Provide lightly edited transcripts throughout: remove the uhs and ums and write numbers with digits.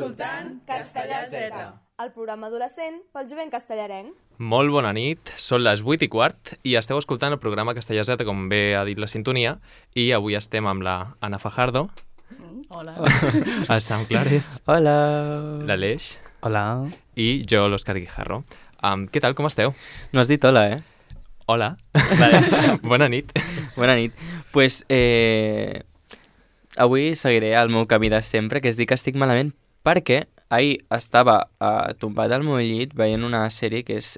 escoltant Castellà Z, el programa adolescent pel jovent castellarenc. Molt bona nit, són les 8:15 i esteu escoltant el programa Castellà Z, com bé ha dit la sintonia, i avui estem amb la Anna Fajardo. Hola. El Sam Clares. Hola. L'Aleix. Hola. I jo, l'Òscar Guijarro. Què tal, com esteu? No has dit hola, eh? Hola. Vale. Bona nit. Bona nit. Pues, avui seguiré el meu camí de sempre, que és dir que estic malament, perquè ahir estava tombat al meu llit veient una sèrie que és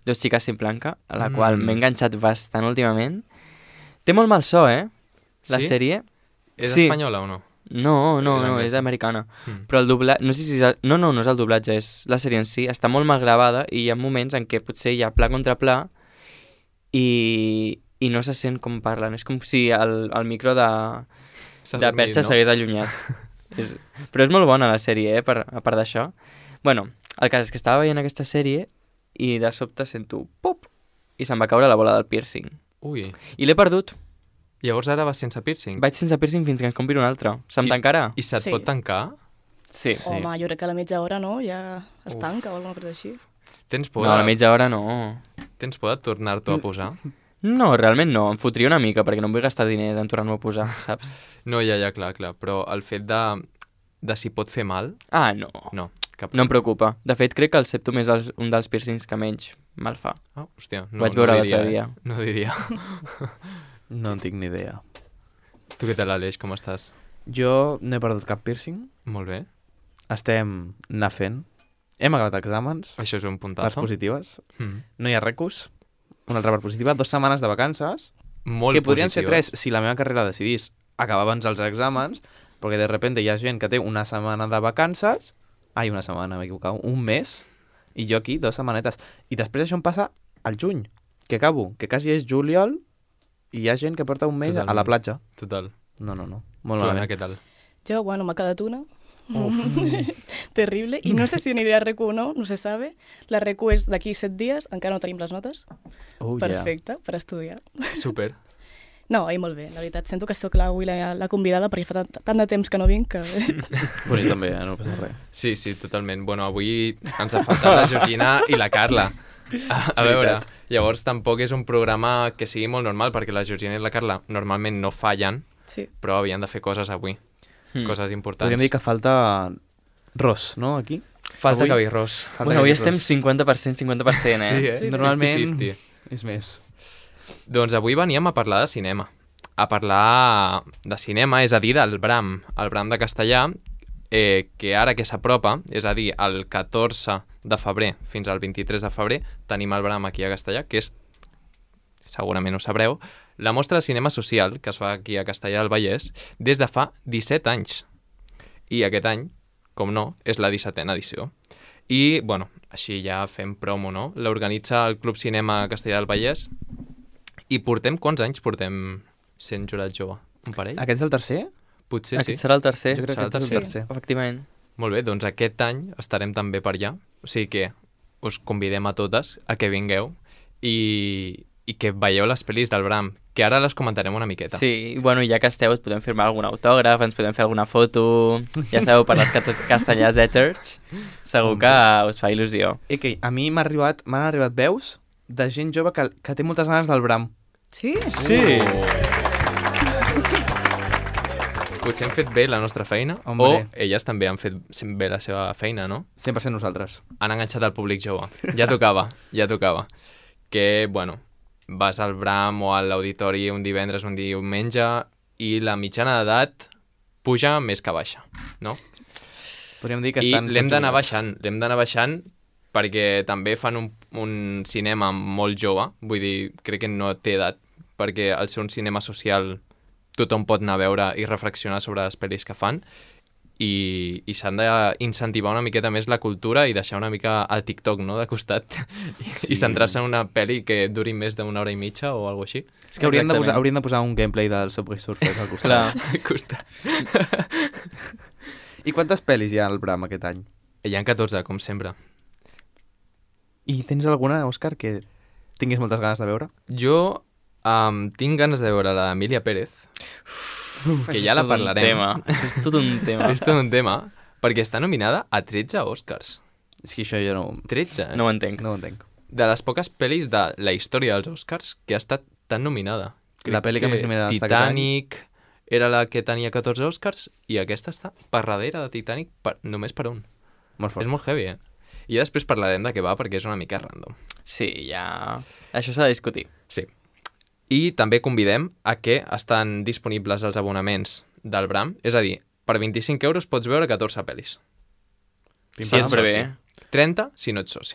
Dos chicas sin blanca, a la qual m'he enganxat bastant últimament. Té molt mal so, la sèrie. És espanyola o no? No, és americana. Però el doblatge... No sé si és no és el doblatge, és la sèrie en si. Està molt mal gravada i hi ha moments en què potser hi ha pla contra pla i no se sent com parlen. És com si el micro de perxa s'hagués allunyat. Però és molt bona la sèrie, a part d'això. Bueno, el cas és que estava veient aquesta sèrie i de sobte sento pop i se'm va caure la bola del piercing. Ui. I l'he perdut. Llavors ara vas sense piercing? Vaig sense piercing fins que ens compri un altre. Se'm tancarà? I se't pot tancar? Sí. Home, jo crec que a la mitja hora, no? Ja es tanca o alguna cosa així. Tens por No, a la mitja hora no. Tens por de tornar-t'ho a posar? No, realment no. Em fotria una mica perquè no em vull gastar diners en tornar-m'ho a posar, saps? No, ja, clar. Però el fet de si pot fer mal... Ah, no. No, cap... No em preocupa. De fet, crec que el septum és un dels piercings que menys mal fa. Ah, hòstia. Ho vaig veure l'altre dia. No diria. No en tinc ni idea. Tu què tal, Aleix? Com estàs? Jo no he perdut cap piercing. Molt bé. Estem anar fent. Hem acabat exàmens. Això és un Parts puntazo. positives. No hi ha recus. Una altra part positiva. 2 setmanes de vacances. Molt que podrien ser positives. 3 si la meva carrera decidís acabar abans dels exàmens, perquè de repente hi ha gent que té una setmana de vacances. Ai, una setmana, m'he equivocat. Un mes. I jo aquí 2 setmanetes. I després això em passa al juny, que acabo, que quasi és juliol, i hi ha gent que porta un mes a la platja. Total. No. Molt Tu, Anna, malament. què tal? Jo, bueno, m'ha quedat una. Terrible. I no sé si aniré a RQ o no, no se sabe. La RQ és d'aquí 7 dies, encara no tenim les notes. Perfecte, per estudiar. Super. No, molt bé, la veritat. Sento que esteu clar avui la convidada perquè fa tant de temps que no vinc que... Pues jo també, no passa res. Sí, totalment. Bueno, avui ens ha faltat la Georgina i la Carla. A veure, llavors tampoc és un programa que sigui molt normal, perquè la Georgina i la Carla normalment no fallen, Sí. però havien de fer coses avui. Coses importants. Podríem dir que falta Ros, no, aquí? Falta avui- cabirrós. Bueno, avui estem 50%, 50%, Sí, Normalment 50-50. és més. Doncs avui veníem a parlar de cinema. A parlar de cinema, és a dir, del Bram. El Bram de castellà, que ara que s'apropa, és a dir, el 14 de febrer fins al 23 de febrer, tenim el Bram aquí a Castellà, que és, segurament ho sabreu, la mostra de cinema social que es fa aquí a Castellà del Vallès des de fa 17 anys. I aquest any, com no, és la 17a edició. I, bueno, així ja fem promo, no? L'organitza el Club Cinema Castellà del Vallès. I quants anys portem sent jurat jove? Un parell? Aquest és el tercer? Potser sí. Aquest serà el tercer. Jo crec serà que aquest és el tercer. Efectivament. Molt bé, doncs aquest any estarem també per allà. O sigui que us convidem a totes a que vingueu i que veieu les pel·lis del Bram, que ara les comentarem una miqueta. Sí, bueno, ja que esteu, et podem firmar algun autògraf, ens podem fer alguna foto, ja sabeu, per les Castellà Z-Church, segur que us fa il·lusió. Que a mi m'han arribat veus de gent jove que té moltes ganes del Bram. Sí? Sí. Potser hem fet bé la nostra feina, Hombre. o elles també han fet bé la seva feina, no? 100% nosaltres. Han enganxat el públic jove. Ja tocava. Que, bueno, vas al Bram o a l'auditori un divendres, un diumenge, i la mitjana d'edat puja més que baixa, no? Podríem dir que I estan... l'hem tots d'anar jugats. baixant perquè també fan un cinema molt jove, vull dir, crec que no té edat, perquè al ser un cinema social tothom pot anar a veure i reflexionar sobre les pel·lis que fan, i s'han d'incentivar una miqueta més la cultura i deixar una mica el TikTok, no?, de costat, i centrar-se en una pel·li que duri més d'una hora i mitja o alguna cosa així. És que hauríem Exactament. de posar un gameplay del Subway Surfers al costat. Clar. Al costat. I quantes pel·lis hi ha al Bram aquest any? Hi ha 14, com sempre. I tens alguna, Òscar, que tinguis moltes ganes de veure? Jo tinc ganes de veure l'Emília Pérez, que ja la parlarem. Això és tot un tema. És tot un tema, perquè està nominada a 13 Oscars. És que això jo no... 13, No ho entenc. No ho entenc. De les poques pel·lis de la història dels Oscars que ha estat tan nominada. La pel·li que més nominada està aquest Titanic era la que tenia 14 Oscars i aquesta està per darrere de Titanic només per un. Molt fort. És molt heavy, I ja després parlarem de què va perquè és una mica random. Sí, ja... Això s'ha de discutir. Sí. I també convidem a que estan disponibles els abonaments del Bram, és a dir, per 25 euros pots veure 14 pel·lis. Si ets bé. 30 si no ets soci.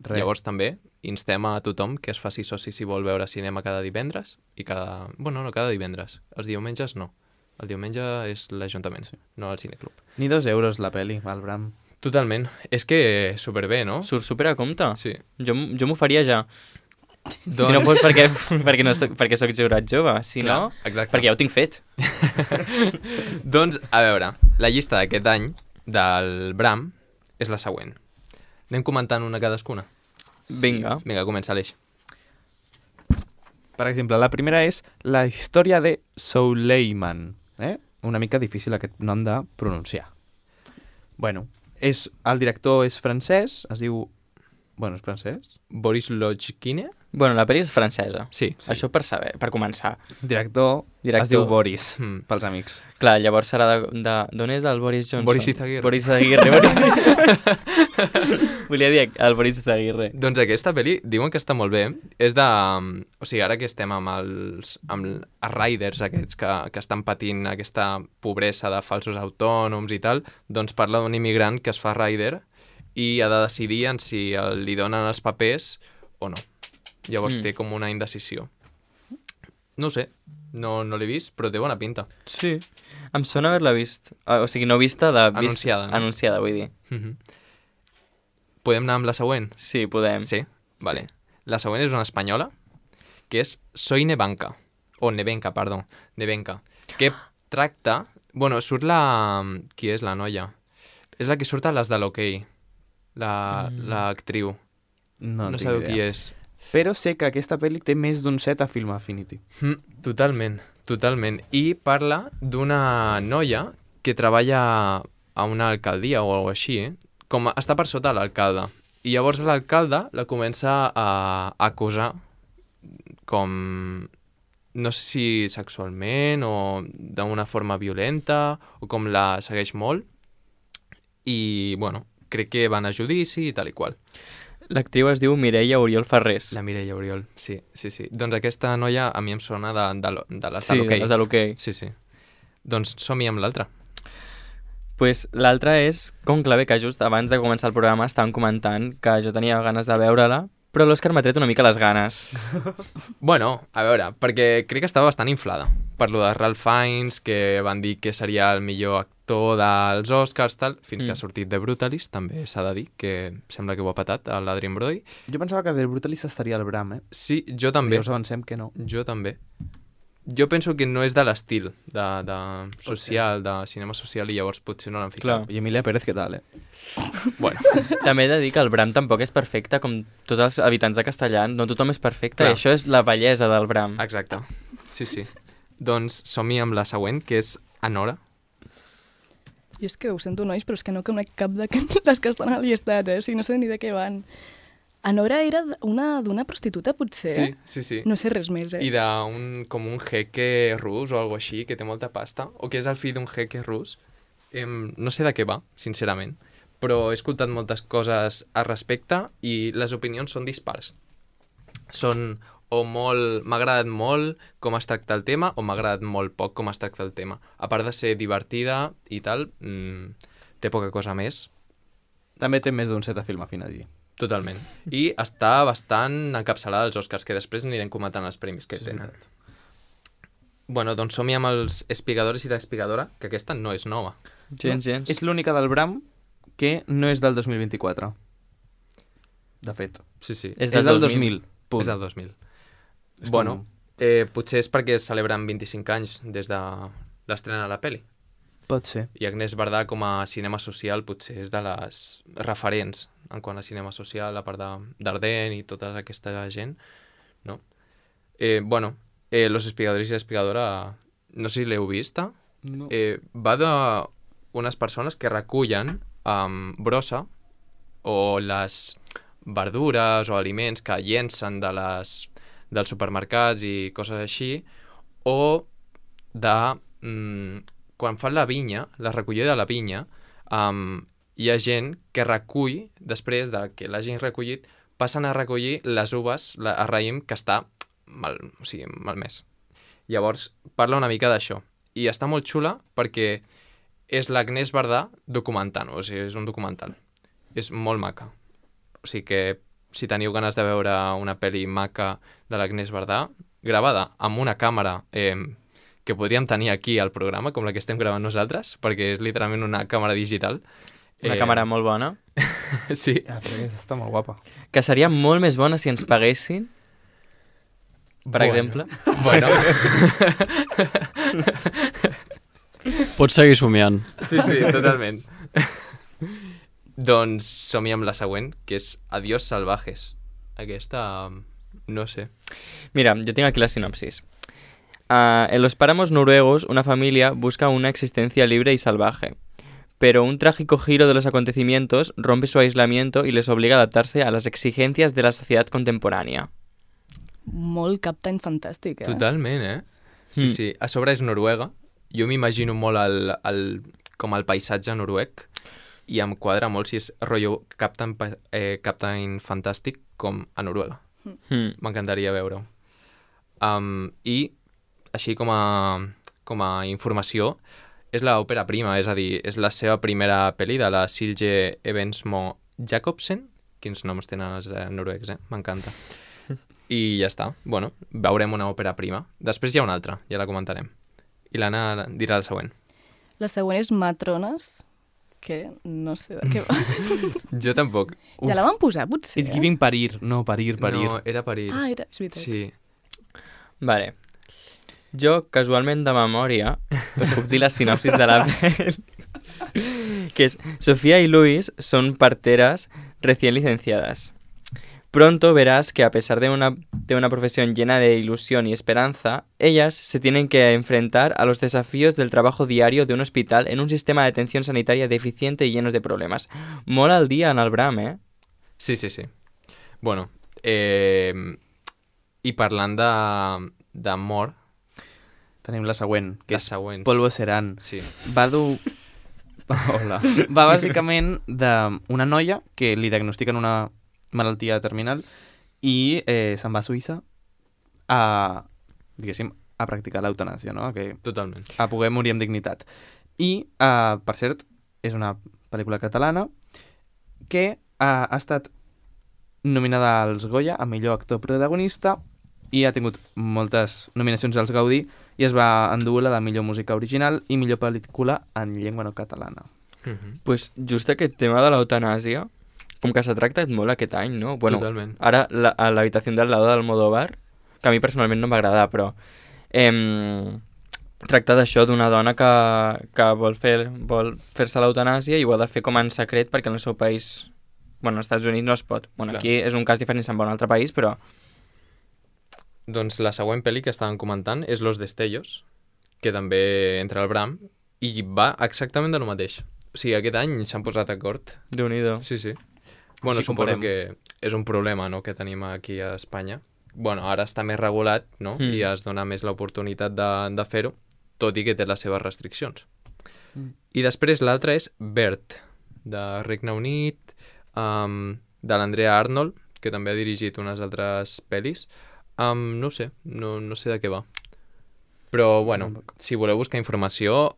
Res. Llavors també instem a tothom que es faci soci si vol veure cinema cada divendres i cada... Bueno, no cada divendres. Els diumenges no. El diumenge és l'Ajuntament, no el Cineclub. Ni 2 euros la pel·li, al Bram. Totalment. És que superbé, no? Surt super a compte. Sí. Jo m'ho faria ja. Doncs... Si no fos perquè soc jurat jove. Si Clar, no, exacte. perquè ja ho tinc fet. Doncs, a veure, la llista d'aquest any del Bram és la següent. Anem comentant una cadascuna? Vinga. Vinga, comença, Aleix. Per exemple, la primera és la història de Souleyman. Una mica difícil aquest nom de pronunciar. Bueno, el director és francès, es diu... Bueno, és francès? Boris Lojkine? Bueno, la pel·li és francesa. Sí. Això per saber, per començar. Director es diu Boris, pels amics. Clar, llavors serà d'on és el Boris Johnson? Boris Izaguirre. Boris Izaguirre. Volia dir el Boris Izaguirre. Doncs aquesta pel·li diuen que està molt bé. És de... O sigui, ara que estem amb els riders aquests que estan patint aquesta pobresa de falsos autònoms i tal, doncs parla d'un immigrant que es fa rider i ha de decidir en si li donen els papers o no. Llavors té com una indecisió. No ho sé, no l'he vist, però té bona pinta. Sí, em sona haver-la vist. O sigui, no vista de... Anunciada, no? Anunciada, vull dir. Podem anar amb la següent? Sí, podem. Sí? Vale. Sí. La següent és una espanyola, que és Soy Nevanka. O Nevenka, perdó. Nevenka. Que tracta... Bueno, surt la... Qui és la noia? És la que surt a les de l'Hockey. L'actriu. No sabeu qui és. Però sé que aquesta pel·li té més d'un 7 a Film Affinity. Totalment. I parla d'una noia que treballa a una alcaldia o alguna així, com està per sota l'alcalde. I llavors l'alcalde la comença a acusar com, no sé si sexualment o d'una forma violenta, o com la segueix molt. I, bueno, crec que van a judici i tal i qual. L'actriu es diu Mireia Oriol Ferrés. La Mireia Oriol, sí. Doncs aquesta noia a mi em sona de les sí, de l'hoquei. Sí, les de l'hoquei. Sí. Doncs som-hi amb l'altra. Pues l'altra és Conclave, que just abans de començar el programa estàvem comentant que jo tenia ganes de veure-la, però l'Òscar m'ha tret una mica les ganes. Bueno, a veure, perquè crec que estava bastant inflada. Per lo de Ralph Fiennes, que van dir que seria el millor actor dels Oscars, tal, fins que ha sortit The Brutalist, també s'ha de dir, que sembla que ho ha patat a l'Adrien Brody. Jo pensava que The Brutalist estaria al Bram, Sí, jo també. Ja us avancem que no. Jo també. Jo penso que no és de l'estil de social, de cinema social, i llavors potser no l'han ficat. Clar. I Emilia Pérez, què tal, Bueno. També he de dir que el Bram tampoc és perfecte, com tots els habitants de Castellà, no tothom és perfecte, i això és la bellesa del Bram. Exacte, sí. Doncs som-hi amb la següent, que és Anora. Jo és que ho sento, nois, però és que no conec cap de les que estan al llistat, o sigui, no sé ni de què van. Anora era d'una prostituta, potser? Sí. No sé res més, I com un jeque rus o alguna així, que té molta pasta, o que és el fill d'un jeque rus. No sé de què va, sincerament, però he escoltat moltes coses al respecte i les opinions són dispars. Són o m'ha agradat molt com es tracta el tema o m'ha agradat molt poc com es tracta el tema. A part de ser divertida i tal, té poca cosa més. També té més d'un 7 a Film Affinity. Totalment. I està bastant encapçalada als Oscars, que després anirem comentant els premis que tenen. Bueno, doncs som-hi amb els Espigadores i l'Espigadora, que aquesta no és nova. Gens. És l'única del Bram que no és del 2024. De fet. Sí. És del 2000. Punt. És del 2000. Bueno, potser és perquè es celebren 25 anys des de l'estrena de la pel·li. Pot ser. I Agnès Bardà, com a cinema social, potser és de les referents en quant a cinema social, a part d'Ardent i tota aquesta gent, no? Bueno, Los Espigadores i l'Espigadora, no sé si l'heu vista, no. Va unes persones que recullen brossa o les verdures o aliments que llencen dels supermercats i coses així, o quan fan la vinya, la recollida de la vinya, hi ha gent que recull, després de que l'hagin recollit, passen a recollir les uves, el raïm que està malmès. Llavors, parla una mica d'això. I està molt xula perquè és l'Agnès Bardà documentant-ho, o sigui, és un documental. És molt maca. O sigui que si teniu ganes de veure una pel·li maca de l'Agnès Bardà, gravada amb una càmera que podríem tenir aquí al programa, com la que estem gravant nosaltres, perquè és literalment una càmera digital. Una càmera molt bona. Sí. Però aquesta està molt guapa. Que seria molt més bona si ens paguessin, per exemple. Bueno. Pots seguir somiant. Sí, totalment. Doncs som-hi amb la següent, que és Adiós salvajes. Aquesta, no sé. Mira, yo tengo aquí la sinopsis. En los páramos noruegos, una familia busca una existencia libre y salvaje. Pero un trágico giro de los acontecimientos rompe su aislamiento y les obliga a adaptarse a las exigencias de la sociedad contemporánea. Molt Captain Fantàstic, Totalment, Sí. A sobre és Noruega. Jo m'imagino molt com el paisatge noruec i em quadra molt si és rotllo Captain Fantàstic com a Noruega. M'encantaria veure-ho. I, així com a informació, és l'òpera prima, és a dir, és la seva primera pel·li de la Silje Evensmo Jacobsen. Quins noms tenen els noruecs, m'encanta. I ja està. Bueno, veurem una òpera prima. Després hi ha una altra, ja la comentarem. I l'Anna dirà la següent. La següent és Matrones, que no sé de què va. Jo tampoc. Ja la van posar, potser? It's giving parir, no parir. No, era parir. Ah, és veritat. Sí. Vale. Jo, casualment de memòria, us puc dir la sinopsis de la pel·li, que es Sofía y Luis son parteras recién licenciadas. Pronto verás que a pesar de una profesión llena de ilusión y esperanza, ellas se tienen que enfrentar a los desafíos del trabajo diario de un hospital en un sistema de atención sanitaria deficiente y lleno de problemas. Mola el dia en el Bram, Sí. Bueno, i parlant d'amor... Tenim la següent, que és següents. Polvo Serán. Sí. Va Hola. Va bàsicament d'una noia que li diagnostiquen una malaltia terminal i se'n va a Suïssa a practicar l'eutanàsia, no? Totalment. A poder morir amb dignitat. I, per cert, és una pel·lícula catalana que ha estat nominada als Goya a millor actor protagonista i ha tingut moltes nominacions als Gaudí i es va endur la de millor música original i millor pel·lícula en llengua no catalana. Pues just aquest tema de l'eutanàsia, com que s'ha tractat molt aquest any, no? Bueno, totalment. Ara a l'habitació del lado del Almodóvar, que a mi personalment no m'agrada, però tracta d'això d'una dona que vol fer-se l'eutanàsia i ho ha de fer com en secret perquè en el seu país, bueno, als Estats Units no es pot. Bueno, Clar. aquí és un cas diferent, se'n va a un altre país, però... Doncs la següent pel·li que estàvem comentant és Los Destellos, que també entra al Bram, i va exactament de lo mateix. O sigui, aquest any s'han posat d'acord. Déu-n'hi-do. Sí. Bueno, Així suposo comparem. que és un problema, no?, que tenim aquí a Espanya. Bueno, ara està més regulat, no?, i es dona més l'oportunitat de fer-ho, tot i que té les seves restriccions. I després l'altra és Bert, de Regne Unit, de l'Andrea Arnold, que també ha dirigit unes altres pel·lis. No sé de què va. Però, bueno, si voleu buscar informació,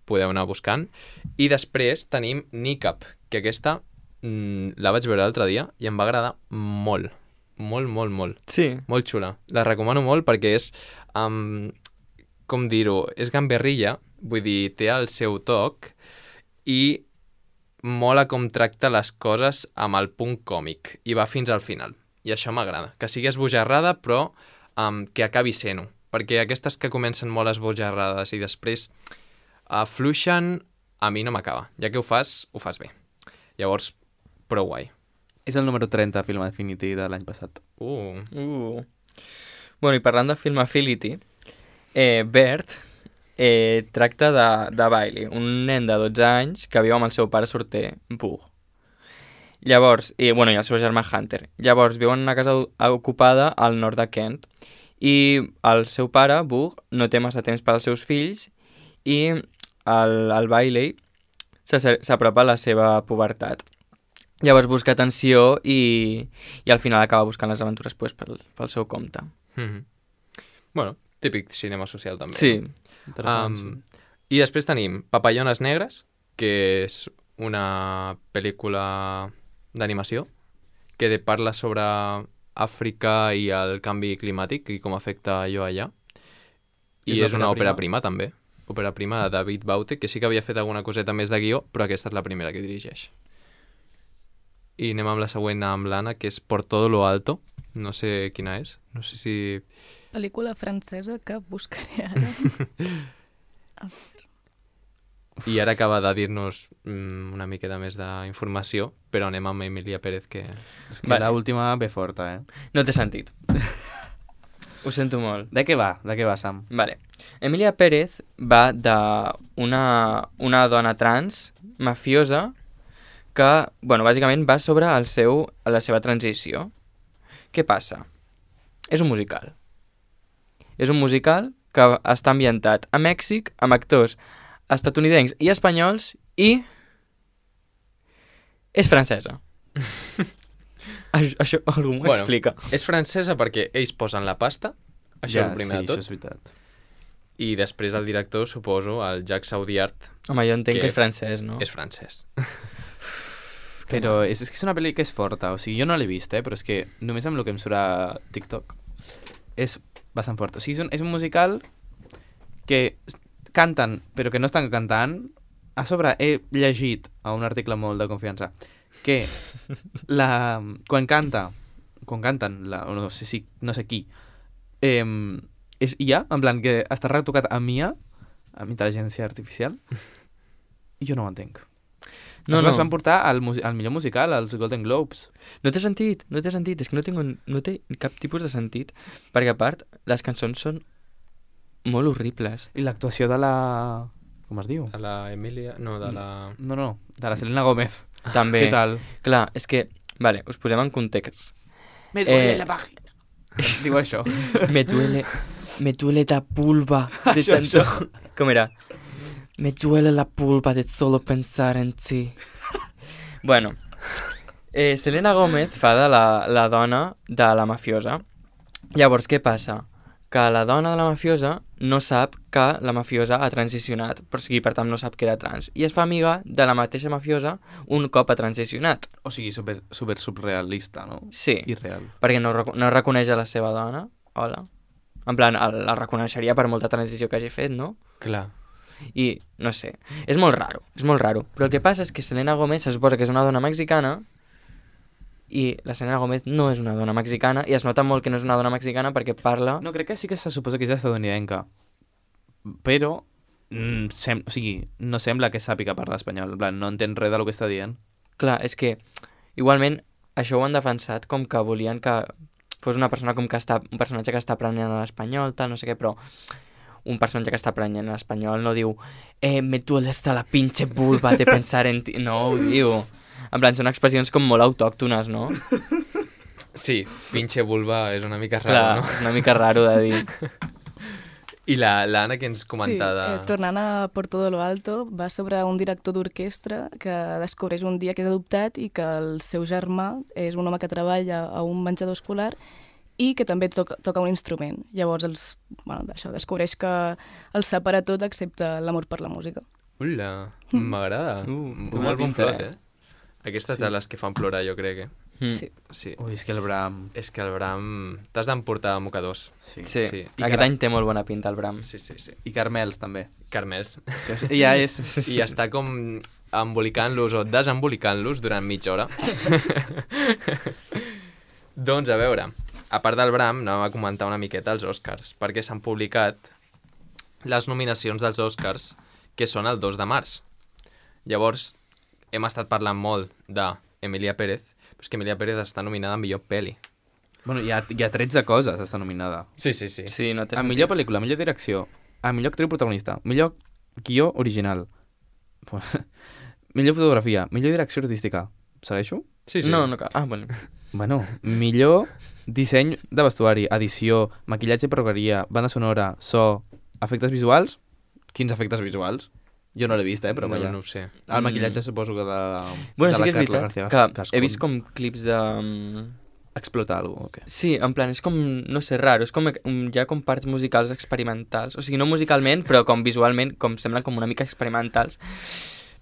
podeu anar buscant. I després tenim Niqab, que aquesta la vaig veure l'altre dia i em va agradar molt. Molt. Sí. Molt xula. La recomano molt perquè és, com dir-ho, és gamberrilla, vull dir, té el seu toc i mola com tracta les coses amb el punt còmic i va fins al final. I això m'agrada. Que sigui esbojarrada, però que acabi sent-ho. Perquè aquestes que comencen molt esbojarrades i després afluixen, a mi no m'acaba. Ja que ho fas bé. Llavors, prou guai. És el número 30 Film Affinity de l'any passat. Bueno, i parlant de Film Affinity, Bert tracta de Bailey, un nen de 12 anys que viu amb el seu pare sorter, Bug. Llavors, i el seu germà Hunter. Llavors, viuen en una casa ocupada al nord de Kent i el seu pare, Bug, no té massa temps per als seus fills i el Bailey s'apropa a la seva pubertat. Llavors busca atenció i al final acaba buscant les aventures pel seu compte. Bueno, típic cinema social també. Sí. I després tenim Papallones Negres, que és una pel·lícula d'animació que parla sobre Àfrica i el canvi climàtic i com afecta allò allà. I és una òpera prima també. Òpera prima de David Baute, que sí que havia fet alguna coseta més de guió, però aquesta és la primera que dirigeix. I anem amb la següent, amb l'Anna, que és Por todo lo alto. No sé quina és. No sé si... Pel·lícula francesa que buscaré ara. I ara acaba de dir-nos una miqueta més d'informació, però anem amb Emilia Pérez, que... És que l'última ve forta, No té sentit. Ho sento molt. De què va, Sam? Vale. Emilia Pérez va d'una dona trans mafiosa que, bàsicament va sobre la seva transició. Què passa? És un musical. És un musical que està ambientat a Mèxic amb actors estatunidencs i espanyols i és francesa. Això algú m'ho explica. És francesa perquè ells posen la pasta, això és el primer de tot. Això és veritat. I després el director, suposo, el Jacques Audiard. Home, jo entenc que és francès, no? És francès. Però és que és una pel·li que és forta, o sigui, jo no l'he vist, però és que només amb el que em surt a TikTok és bastant fort. O sigui, és un musical que canten, però que no estan cantant. A sobre he llegit a un article molt de confiança que quan canten, no sé qui, és IA, en plan que està retocat amb IA, amb intel·ligència artificial, i jo no ho entenc. No. Es van portar al millor musical, als Golden Globes. No té sentit, és que no té cap tipus de sentit, perquè a part, les cançons són molt horribles. I l'actuació de la... com es diu? De la Emilia... No, de la... No, de la Selena Gómez. També. Què tal? Clar, és que... Vale, us posem en context. Me duele la vagina. Diu això. Me duele la pulpa de tanto... Com era? Me duele la pulpa de solo pensar en ti. Bueno, Selena Gómez fa de la dona de la mafiosa. Llavors, què passa? Que la dona de la mafiosa no sap que la mafiosa ha transicionat, per tant no sap que era trans, i es fa amiga de la mateixa mafiosa un cop ha transicionat. O sigui, super surrealista, no? Sí, irreal. Perquè no reconeix a la seva dona. Hola. En plan, la reconeixeria per molta transició que hagi fet, no? Clar. I, no sé, és molt raro. Però el que passa és que Selena Gómez se suposa que és una dona mexicana i la Selena Gómez no és una dona mexicana i es nota molt que no és una dona mexicana perquè parla... No, crec que sí que se suposa que és estadounidenca, però o sigui, no sembla que sàpiga parlar espanyol, en plan, no entén res del que està dient. Clar, és que igualment això ho han defensat com que volien que fos una persona com que un personatge que està aprenent l'espanyol, tal, no sé què, però un personatge que està aprenent l'espanyol no diu me duele hasta la pinche vulva de pensar en ti, no ho diu. En plan, són expressions com molt autòctones, no? Sí, pinche vulva és una mica raro, clar, no? Una mica raro de dir. I l'Anna que ens comentava... Sí, tornant a Por todo lo alto, va sobre un director d'orquestra que descobreix un dia que és adoptat i que el seu germà és un home que treballa a un menjador escolar i que també toca un instrument. Llavors, descobreix que el separa tot excepte l'amor per la música. Ula, m'agrada. Molt bon plot, Aquestes de les que fan plorar, jo crec, Sí. Ui, és que el Bram... És que el Bram... T'has d'emportar mocadors. Sí. Aquest any té molt bona pinta, el Bram. Sí. I Carmels, també. Carmels. Ja és... I està com embolicant-los o desembolicant-los durant mitja hora. Doncs, a veure, a part del Bram, anem a comentar una miqueta els Oscars, perquè s'han publicat les nominacions dels Oscars, que són el 2 de març. Llavors, hem estat parlant molt d'Emilia Pérez, però és que Emilia Pérez està nominada a millor pel·li. Bueno, hi ha 13 coses, està nominada. Sí. Sí, no té a millor pel·lícula, a millor direcció, millor actriu protagonista, millor guió original, millor fotografia, millor direcció artística. Segueixo? Sí. No, no cal. Ah, bueno. Bueno, millor disseny de vestuari, edició, maquillatge i perruqueria, banda sonora, so, efectes visuals. Quins efectes visuals? Jo no l'he vist, però vaja. No ho sé. El maquillatge suposo que de, Bueno, de sí que és Carla veritat García que Gascón. he vist com clips de... Explota alguna cosa, o què? Sí, en plan, és com, no sé, raro, és com, hi ha com parts musicals experimentals, o sigui, no musicalment, però com visualment, com semblen com una mica experimentals,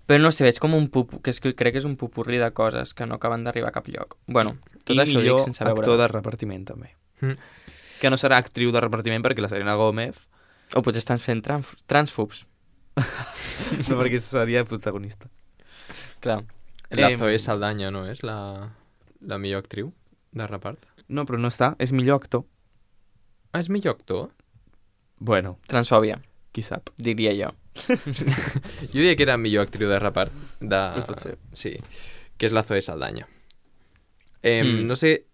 però no sé, veig com un crec que és un pupurri de coses que no acaben d'arribar a cap lloc. Bueno, tot I això ho dic millor sense veure. actor de repartiment, també. Que no serà actriu de repartiment perquè la Selena Gómez... O potser estan fent transfobs. No, perquè seria protagonista. Clar. La Zoe Saldaña, no és la millor actriu de repart? No, però no està. És millor actor. Ah, és millor actor? Bueno, Transfòbia, qui sap. diria jo. Jo diria que era millor actriu de repart. Pues pot ser. Sí, que és la Zoe Saldaña. No sé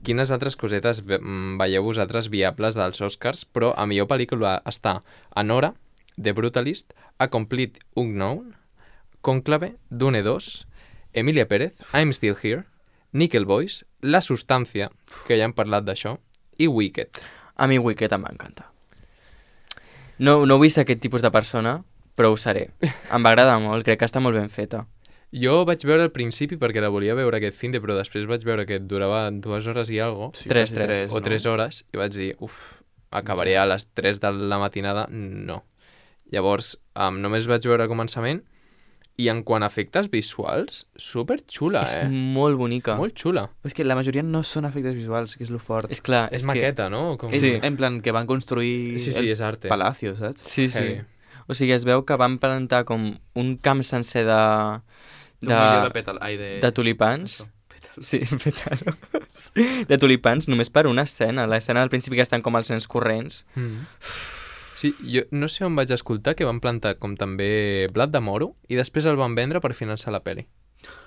quines altres cosetes veieu vosaltres viables dels Oscars, però a millor pel·lícula està Anora, The Brutalist, A Complete Unknown, Cónclave, Dune 2, Emilia Pérez, I'm Still Here, Nickel Boys, La Substància, que ja hem parlat d'això, i Wicked. A mi Wicked em va encantar. No vull ser aquest tipus de persona, però ho seré. Em va agradar molt, crec que està molt ben feta. Jo vaig veure al principi perquè la volia veure aquest finde, però després vaig veure que durava 2 hores i algo, Sí, Tres, quasi tres. o 3 hores, i vaig dir, acabaré a les 3 de la matinada? No. Llavors, només vaig veure el començament, i en quant a efectes visuals, superxula, És molt bonica. Molt xula. És que la majoria no són efectes visuals, que és lo fort. És clar, És que... maqueta, no? Com... És Sí. en plan que van construir Sí, el és arte. palacio, saps? Sí, sí. Heavy. O sigui, es veu que van plantar com un camp sencer Un milió de pètal. Ai, de tulipans. Sí, pétalos. De tulipans, només per una escena. L'escena del principi que estan com als sens corrents. Sí, jo no sé on vaig escoltar que van plantar com també blat de moro i després el van vendre per finançar la peli.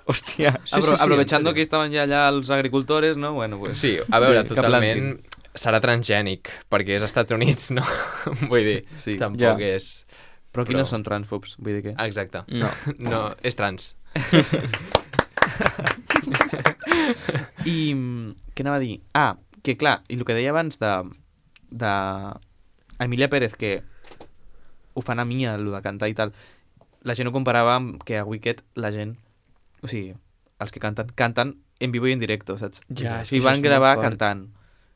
Hòstia. Sí, Aprovechando en que serio. estaban ya allá los agricultores, ¿no? Bueno, pues... Sí, a veure, que totalment serà transgènic, perquè és als Estats Units, no? Vull dir, Sí. tampoc Ja. és... Però aquí no Però- són transfobs, vull dir que... Exacte. No. No, és trans. I què anava a dir? Ah, que clar, i el que deia abans de Emilia Pérez, que ho fan a Mia, el de cantar i tal, la gent ho comparava amb que a Wicked la gent, o sigui, els que canten en vivo i en directo, saps? Ja, és Si que això van és molt gravar fort. cantant.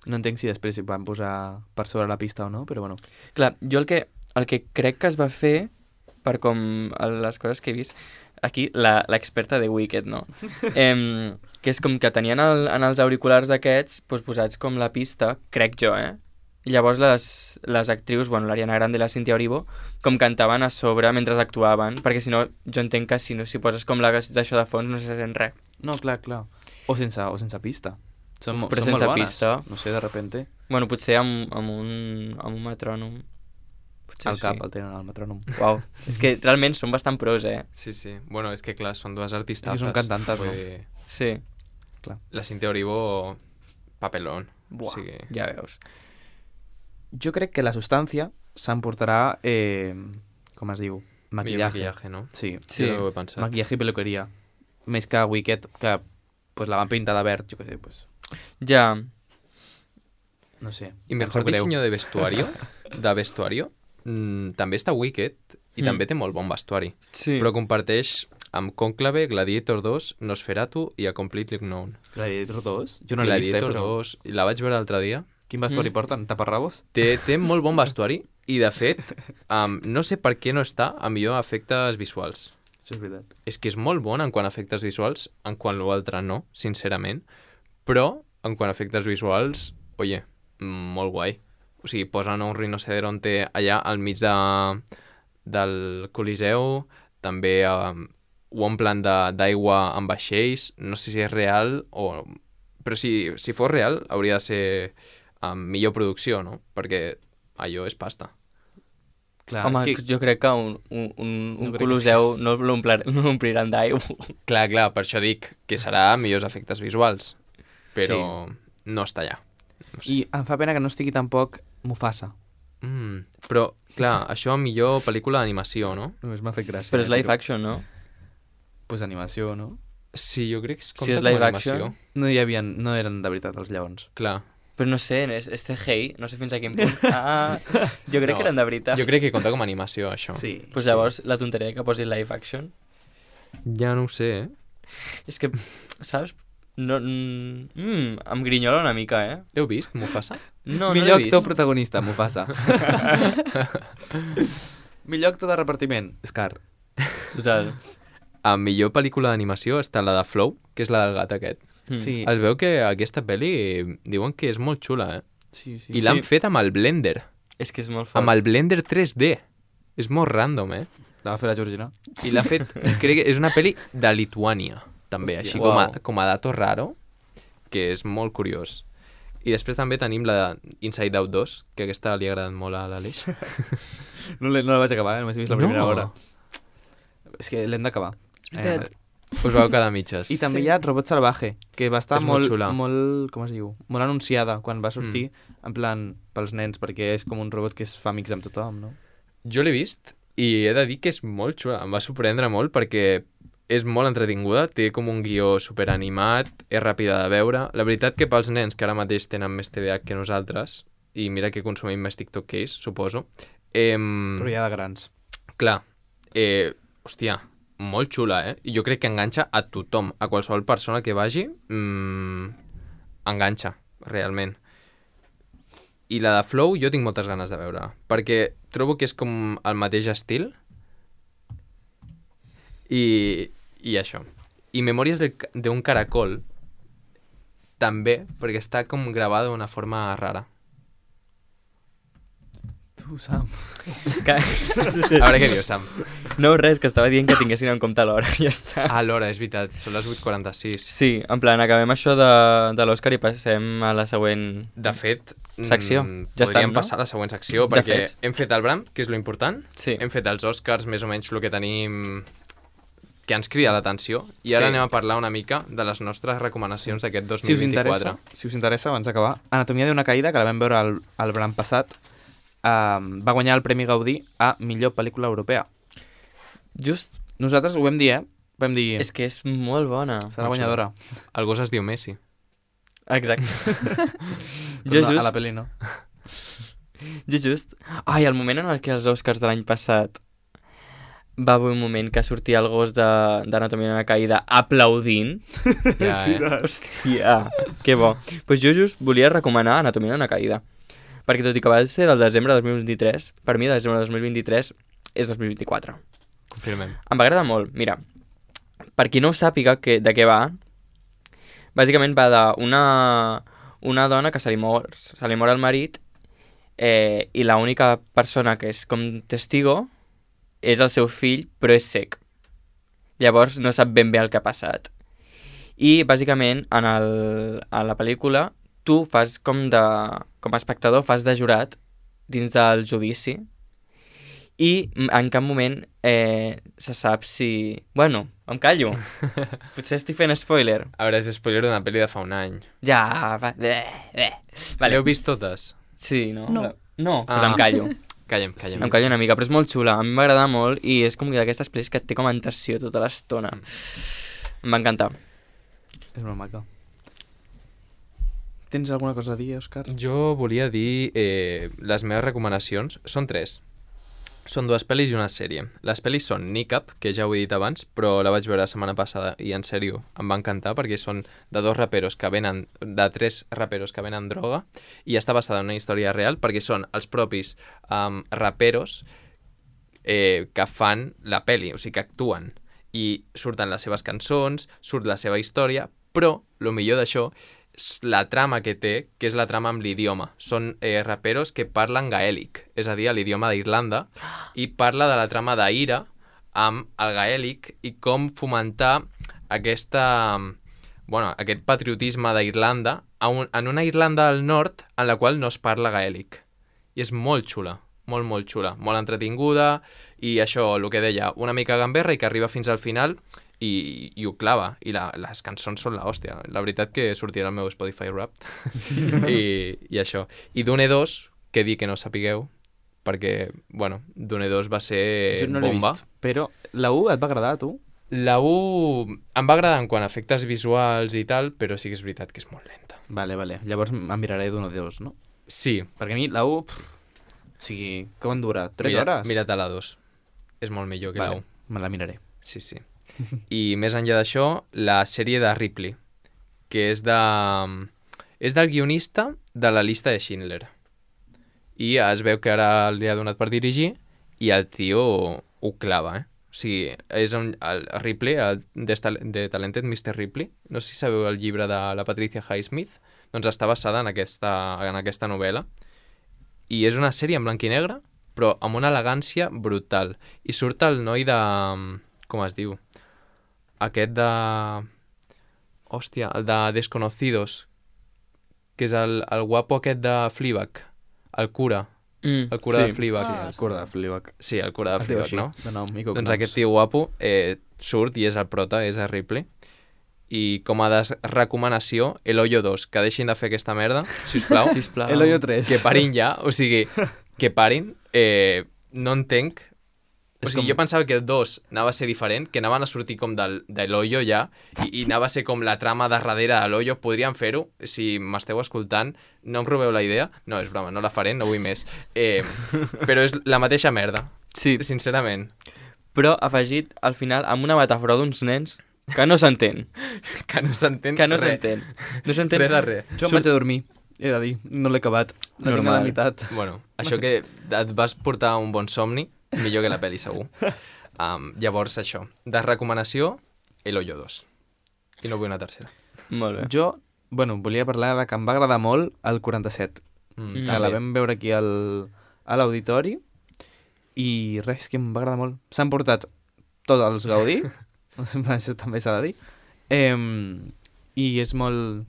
No entenc si després s'hi van posar per sobre la pista o no, però bueno. Clar, jo el que crec que es va fer, per com les coses que he vist, aquí l'experta de Wicked, no? Que és com que tenien en els auriculars aquests doncs, posats com la pista, crec jo, I llavors les actrius, bueno, l'Ariana Grande i la Cynthia Erivo, com cantaven a sobre mentre actuaven, perquè si no, jo entenc que si poses com d'això de fons no se sent res. No, clar. O sense pista. Són Però molt sense bones. pista. No sé, de repente, Bueno, potser amb un metrònom. Potser al cap el tenen al metrònom. Uau, és que realment són bastant pros, Sí, sí. Bueno, és que clar, són dues artistes. És que són cantantes, no? Sí. La Cintia Orivo, papelón. Buah, O sigui... ja veus. Jo crec que la substància s'emportarà, com es diu? Millor Maquillaje. maquillaje, no? Sí, Sí. Jo ho he pensat. maquillaje i peluqueria. Més que Wicked, que pues, la van pintar de verd, jo què sé, pues, Ja, no sé. I em mejor sap greu. diseño de vestuario, també està Wicked i també té molt bon vestuari. sí. Però comparteix amb Cónclave, Gladiator 2, Nosferatu i A Completely Unknown. Gladiator 2? Jo no l'he vist, Gladiator però... 2, la vaig veure l'altre dia. Quin vestuari porten? Taparrabos? Té molt bon vestuari i, de fet, no sé per què no està a millor efectes visuals. Això és veritat. És que és molt bon en quant a efectes visuals, en quant l'altre no, sincerament, però en quant a efectes visuals, oye, molt guai. O sigui, posen un rinoceronte allà al mig del Coliseu, també ho omplen d'aigua amb vaixells, no sé si és real o... Però si fos real, hauria de ser millor producció, no? Perquè allò és pasta. Clar, Home, és que... jo crec que un crec que Coloseu no l'ompliran d'aigua. Clar, per això dic que serà millors efectes visuals, però no està allà. I em fa pena que no estigui tampoc Mufasa. Però, clar, això millor pel·lícula d'animació, no? Només m'ha fet gràcia. Però és live action, no? Pues animació, no? Sí, jo crec que es Si compta és com live a animació. action. No eren de veritat els lleons. Clar. Però no sé, és CGI, no sé fins a quin punt. Jo crec No, que eren de veritat. Jo crec que compta com a animació, això. Sí. Pues llavors, la tonteria que posi live action Ja no ho sé, és que, saps? No, em grinyola una mica, eh? L'heu vist, Mufasa? No, Millor no l'he actor vist. protagonista, Mufasa. Millor actor de repartiment, Scar. Total. A millor pel·lícula d'animació està la de Flow, que és la del gat aquest. Sí. Es veu que aquesta pel·li diuen que és molt xula, Sí, sí. I l'han fet amb el Blender, És que és molt fort. amb el Blender 3D. És molt random, La va fer la Georgina. I l'ha fet, crec que és una pel·li de Lituània, també, Hòstia. així Uau. com a dato raro, que és molt curiós. I després també tenim la Inside Out 2, que aquesta li ha agradat molt a l'Aleix. No la vaig acabar, només he vist la primera No. hora. És que l'hem d'acabar. veritat. Us vau quedar a mitges. I també hi ha Robot Salvaje, que va estar És molt molt, xula. molt, com es diu? Molt anunciada quan va sortir, en plan, pels nens, perquè és com un robot que es fa amics amb tothom, no? Jo l'he vist i he de dir que és molt xula. Em va sorprendre molt perquè és molt entretinguda, té com un guió superanimat, és ràpida de veure. La veritat que pels nens que ara mateix tenen més TDAH que nosaltres, i mira que consumim més TikTok que ells, suposo, Però ja de grans. clar, hòstia, molt xula, I jo crec que enganxa a tothom, a qualsevol persona que vagi, enganxa, realment. I la de Flow jo tinc moltes ganes de veure, perquè trobo que és com el mateix estil i això. I Memòries d'un caracol també, perquè està com gravada d'una forma rara. Tu, Sam. A veure què dius, Sam. No, res, que estava dient que tinguessin en compte l'hora, ja està. Ah, l'hora, és veritat, són les 8:46. Sí, en plan, acabem això de l'Òscar i passem a la següent... De fet, Secció. Ja està, podríem no? passar a la següent secció, De perquè fet. hem fet el Bram, que és lo important, Sí. hem fet els Oscars, més o menys el que tenim que ens crida l'atenció, i ara Sí. anem a parlar una mica de les nostres recomanacions d'aquest Si us 2024. interessa, abans d'acabar, Anatomia d'una caïda, que la vam veure el Bram passat, va guanyar el Premi Gaudí a millor pel·lícula europea. Just, Nosaltres ho vam dir, Vam dir, és que és molt bona. serà guanyadora. El gos es diu Messi. Exacte. Però jo a la just, pel·li no. jo just... Ai, el moment en el que els Oscars de l'any passat va haver un moment que sortia el gos d'Anatomia d'una caïda aplaudint. Ja, Hòstia, que bo. Pues jo just volia recomanar Anatomia d'una caïda. Perquè tot i que va ser del desembre de 2023, per mi desembre de 2023 és 2024. Confirmem. Em va agradar molt. Mira, per qui no ho sàpiga de què va, bàsicament va d'una dona que se li mor el marit i l'única persona que és com testigo és el seu fill, però és cec. Llavors no sap ben bé el que ha passat. I bàsicament a la pel·lícula tu fas com a espectador, fas de jurat dins del judici i en cap moment se sap si... Bueno, em callo. Potser estic fent spoiler. A veure, és spoiler d'una pel·li de fa un any. Ja, va... Vale. L'heu vist totes? Sí, no? No. No, pues Ah. em callo. Callem. Em callo una mica, però és molt xula. A mi m'agrada molt i és com d'aquestes pel·lis que et té com en tensió tota l'estona. Em va encantar. És molt maca. Tens alguna cosa a dir, Òscar? Jo volia dir les meves recomanacions. Són 3. Són 2 pel·lis i una sèrie. Les pel·lis són Nick Up, que ja ho he dit abans, però la vaig veure la setmana passada i en sèrio em va encantar perquè són de 3 raperos que venen droga i està basada en una història real perquè són els propis raperos que fan la pel·li, o sigui que actuen i surten les seves cançons, surt la seva història, però el millor d'això és la trama que té, que és la trama amb l'idioma. Són raperos que parlen gaèlic, és a dir, l'idioma d'Irlanda, i parla de la trama d'Ira amb el gaèlic i com fomentar aquest patriotisme d'Irlanda en una Irlanda del nord en la qual no es parla gaèlic. I és molt xula, molt xula, molt entretinguda, i això, el que deia, una mica gamberra i que arriba fins al final i ho clava, i les cançons són l'hòstia. La veritat que sortirà al meu Spotify Wrapped i això. I Dune 2, que dir que no sapigueu, perquè, bueno, Dune 2 va ser Jo no l'he bomba. vist, però la 1 et va agradar a tu? La 1 em va agradar en quant a efectes visuals i tal, però sí que és veritat que és molt lenta. Vale. Llavors em miraré d'una de dos, no? Sí. Perquè a mi la 1... O sigui, com dura? 3 hores? Mira't a la 2. És molt millor que la 1. Me la miraré. Sí. I més enllà d'això, la sèrie de Ripley, que és del guionista de la llista de Schindler. I es veu que ara li ha donat per dirigir i el tio ho clava, O sigui, és el Ripley, el The Talented Mr. Ripley. No sé si sabeu el llibre de la Patricia Highsmith. Doncs està basada en aquesta novel·la. I és una sèrie en blanc i negre, però amb una elegància brutal. I surt el noi de... Com es diu? Aquest de... Hòstia, el de Desconocidos, que és el guapo aquest de Fleabag, el cura. El cura de Fleabag. Sí, el cura de Fleabag. Sí, el cura de Fleabag, no? De nom, doncs aquest tio guapo surt i és el prota, és el Ripley. I com a recomanació, El Hoyo 2, que deixin de fer aquesta merda, sisplau. Sisplau. El Hoyo 3. Que parin ja, o sigui, que parin. No entenc. O sigui, jo pensava que el 2 anava a ser diferent, que anaven a sortir com de l'Hoyo ja, i anava a ser com la trama de darrere de l'Hoyo. Podríem fer-ho, si m'esteu escoltant, no em robeu la idea. No, és broma, no la faré, no vull més. Però és la mateixa merda, Sí, sincerament. però afegit al final amb una metàfora d'uns nens que no s'entén. Que no s'entén Que no res. s'entén. No s'entén. Res de res. Jo em vaig a dormir, he de dir. No l'he acabat. La tinc a la Normal. meitat. Bueno, això que et vas portar un bon somni, millor que la pel·li, segur. Llavors, això. De recomanació, El Hoyo 2. I no vull una tercera. Molt bé. Jo, volia parlar de que em va agradar molt el 47. Que la també. vam veure aquí a l'auditori i res, que em va agradar molt. S'han portat tots els Gaudí, això també s'ha de dir, i és molt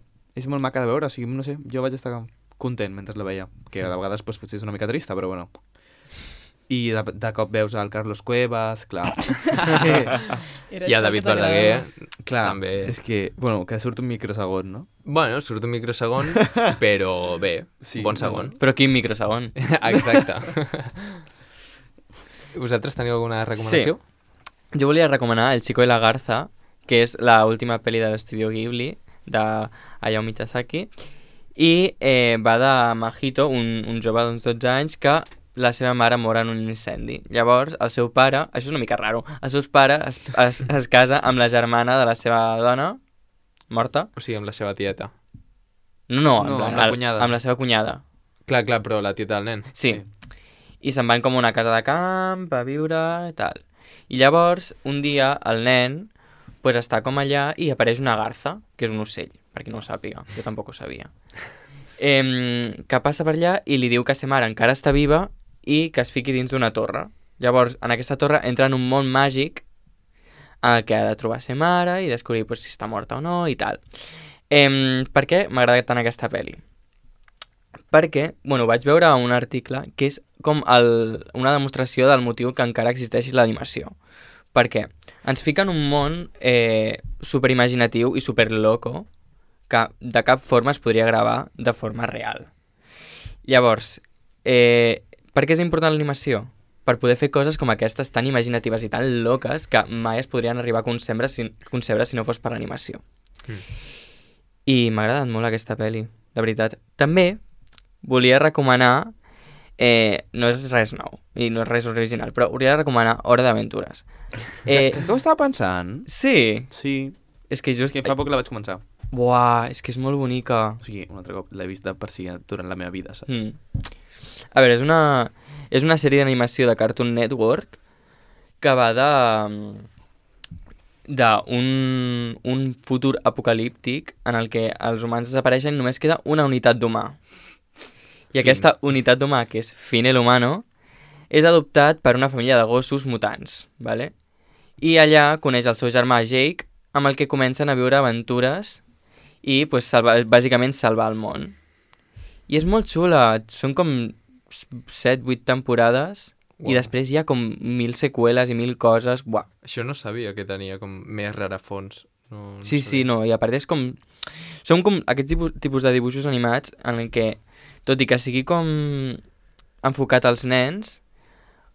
maca de veure, o sigui, no sé, jo vaig estar content mentre la veia, que a vegades pues, potser és una mica trista, però bueno. I de cop veus el Carlos Cuevas, clar. I a David Verdaguer, Clar, també. és que, bueno, que surt un microsegon, no? Bueno, surt un microsegon, però bé, Sí, bon segon. Però quin microsegon. Exacte. Vosaltres teniu alguna recomanació? Jo volia recomanar El Chico y la Garza, que és l'última pel·li de l'estudio Ghibli, de Hayao Miyazaki, i va de Mahito, un jove d'uns 12 anys que la seva mare mor en un incendi. Llavors, el seu pare, això és una mica raro, el seu pare es casa amb la germana de la seva dona, morta. O sigui, amb la seva tieta. No, No, en amb la cunyada. amb la seva cunyada. Clar, però la tieta del nen. Sí. I se'n van com a una casa de camp a viure i tal. I llavors, un dia, el nen pues, està com allà i apareix una garza, que és un ocell, per qui no ho sàpiga. Jo tampoc ho sabia. Que passa per allà i li diu que sa mare encara està viva i que es fiqui dins d'una torre. Llavors, en aquesta torre entra en un món màgic en el que ha de trobar sa mare i descobrir pues, si està morta o no i tal. Per què m'ha agradat tant aquesta pel·li? Perquè, bueno, vaig veure un article que és com una demostració del motiu que encara existeixi l'animació. Perquè ens fica en un món superimaginatiu i superloco que de cap forma es podria gravar de forma real. Llavors, per què és important l'animació? Per poder fer coses com aquestes tan imaginatives i tan loques que mai es podrien arribar a concebre si no fos per l'animació. I m'ha agradat molt aquesta pel·li, la veritat. També volia recomanar, no és res nou i no és res original, però volia recomanar Hora d'Aventures. Saps què ho estava pensant? Sí, Sí, és que és just... que fa poc la vaig començar. Buah, és que és molt bonica. O sigui, un altre cop l'he vist de per si durant la meva vida, saps? A veure, és una sèrie d'animació de Cartoon Network que va d'un futur apocalíptic en el que els humans desapareixen i només queda una unitat d'humà. I aquesta unitat d'humà, que és Finn el Humano, és adoptat per una família de gossos mutants, ¿vale? I allà coneix el seu germà Jake, amb el que comencen a viure aventures i pues, bàsicament salvar el món. I és molt xula, són com 7-8 temporades. Uau. I després hi ha com 1000 seqüeles i 1000 coses. Buah. Això no sabia que tenia com més rarafons. No Sí, sabia. sí, no, i a part és com... Són com aquests tipus de dibuixos animats en el que, tot i que sigui com enfocat als nens.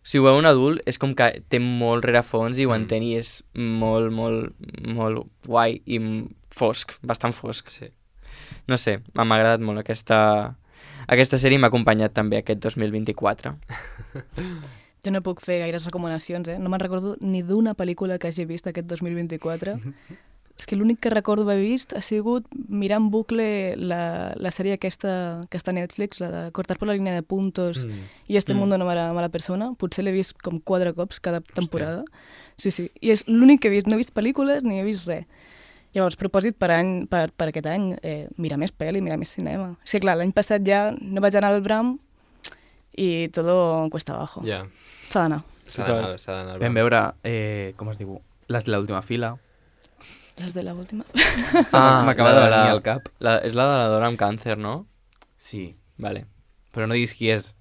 Si ho veu un adult, és com que té molt rerefons i ho entén i és molt, molt, molt guai i fosc, bastant fosc. Sí. No sé, m'ha agradat molt aquesta sèrie i m'ha acompanyat també aquest 2024. Jo no puc fer gaires recomanacions, No me'n recordo ni d'una pel·lícula que hagi vist aquest 2024. És que l'únic que recordo haver vist ha sigut mirar en bucle la sèrie aquesta que està a Netflix, la de Cortar por la línea de puntos i Este mundo no m'agrada mala persona. Potser l'he vist com 4 cops cada temporada. Sí, sí. I és l'únic que he vist. No he vist pel·lícules ni he vist res. Llavors, propòsit per aquest any, mirar més pel·li, mirar més cinema. Sí, clar, l'any passat ja no vaig anar al Bram i todo cuesta abajo. Ja. S'ha d'anar. S'ha d'anar. Vam veure, com es diu, les de l'última fila. Les de la última. M'acaba de venir al cap. És la de la dona amb càncer, no? Sí, Vale. però no diguis qui és,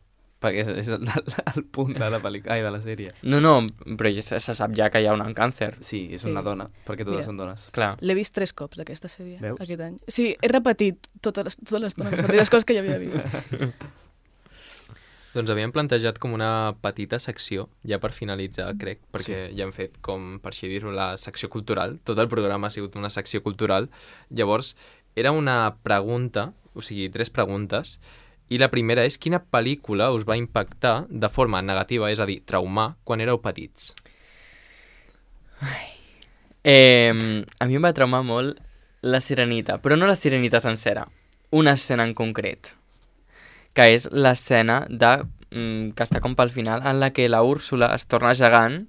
perquè és el punt de la pel·lícula, de la sèrie. No, però ja se sap ja que hi ha una amb càncer. Sí, és Sí. una dona, perquè totes Mira. són dones. Clar. L'he vist 3 cops, aquesta sèrie, Veus? aquest any. Sí, he repetit totes les mateixes coses que ja havia vist. Doncs havíem plantejat com una petita secció, ja per finalitzar, crec, perquè ja hem fet, com per així dir-ho, la secció cultural. Tot el programa ha sigut una secció cultural. Llavors, era una pregunta, o sigui, 3 preguntes, i la primera és quina pel·lícula us va impactar de forma negativa, és a dir, traumar, quan éreu petits? A mi em va traumar molt la Sirenita, però no la Sirenita sencera, una escena en concret, que és l'escena que està com pel final, en la que la Úrsula es torna gegant